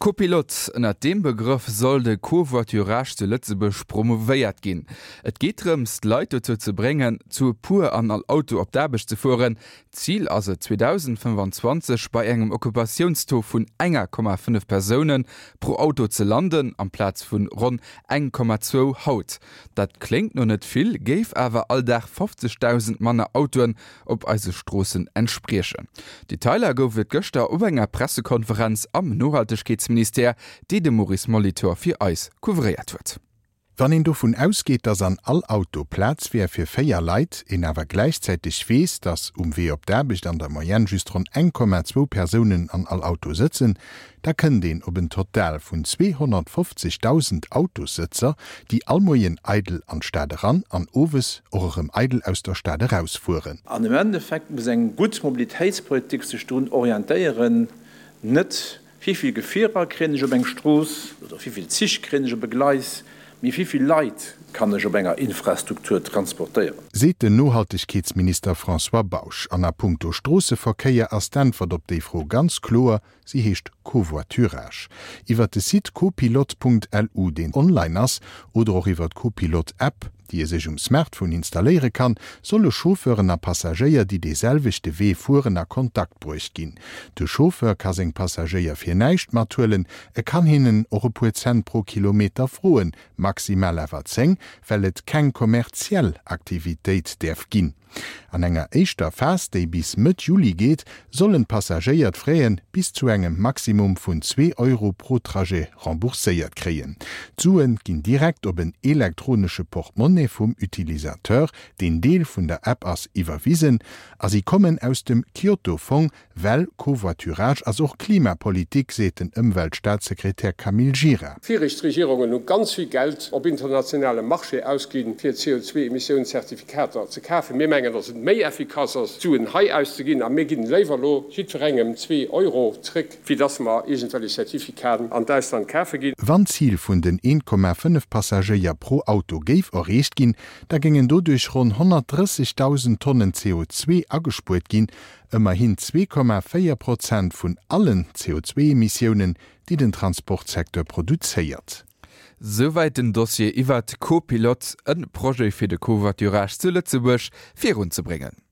Copilote, ënnert deem Begrëff soll de Covoiturage zu Lëtzebuerg promouvéiert ginn. Et geet drëms, d'Leit dozou ze bréngen, zu e puer an all Auto op d'Aarbecht ze fueren. Zil ass et, 2025 bei engem Occupatiounstaux vun enger Komma 5 Persoune pro Auto ze landen, amplaz vun ronn 1,2 haut. Dat kléngt no net vill, géif awer all Dag 50.000 manner Autoen op eise Stroossen entspriechen. Detailer gouf et gëschter op enger Pressekonferenz am Nohaltegkeetsministère, déi de Maurice Molitor fir eis couvréiert huet. Wann een dovun ausgeet, dass an all Auto Plaz wär fir 4 Leit, een awer gläichzäiteg weess, dass um Wee op d'Aarbecht an der Moyenne just ronn 1,2 Persounen an all Auto sëtzen, Da kënnt een op en Total vun 250.000 Autossëtzer, déi all Moien eidel an d'Stad eran an owes och erëm eidel aus der Stad erausfueren. An am Endeffekt muss eng gutt Mobilitéitspolitik sech drun orientéieren, net wéivill Gefierer kréien ech op eng Strooss oder wéivill Zich kréien ech op e Gleis, mee wéivill Leit kann ech op enger Infrastruktur transportéieren. Seet den Nohaltegkeetsminister François Bausch. An a puncto Stroosseverkéier ass d'Äntwert op déi Fro ganz kloer, Si heescht Covoiturage. Iwwer de Site copilote.lu, deen online ass, oder och iwwer d'Copilote-App, déi ee sech um Smartphone installéiere kann, solle Chauffeuren a Passagéier, déi dee selwechte Wee fueren, a Kontakt bruecht ginn. De Chauffeur ka seng Passagéier fir näischt mathuelen, e kann hinnen och e puer Cent pro Kilometer froen, maximal awer 10, well et keng kommerziell Aktivitéit däerf ginn. An enger éischter Phas, déi bis Mëtt Juli geet, sollen d'Passagéier d'Fraie bis zu engem Maximum vun zwee Euro pro Trajet rembourséiert kréien. D'Sue ginn direkt op en elektronesche Portemonnaie vum Utilisateur, deen Deel vun der App ass, iwwerwisen a si kommen aus dem Kyoto-Fong, Well Covoiturage ass och Klimapolitik, seet den Ëmweltstaatssekretär Camille Gira. Viregt Regierungen hu ganz vill Geld op internationalem Marché ausginn, fir CO2-Emissiounszertifikater ze kafen. Mir mengen, datt et méi effikass ass, d'Suen hei auszeginn, a mir ginn léiwer elo jiddwerengem zwee Euro zréck, wéi datt mer iergendwellech Certificaten an d'Ausland kafe ginn. Wann d'Zil vun den 1,5 Passagéier pro Auto géif erreecht ginn, da géingen doduerch ronn 130.000 Tonnen CO2 agespuert ginn, Ëmmerhin 2,4 Prozent vun allen CO2-Emissiounen, déi den Transportsecteur produzéiert. Souwäit den Dossier iwwert Co-Pilote, e Projet fir de Covoiturage zu Lëtzebuerg virunzebréngen.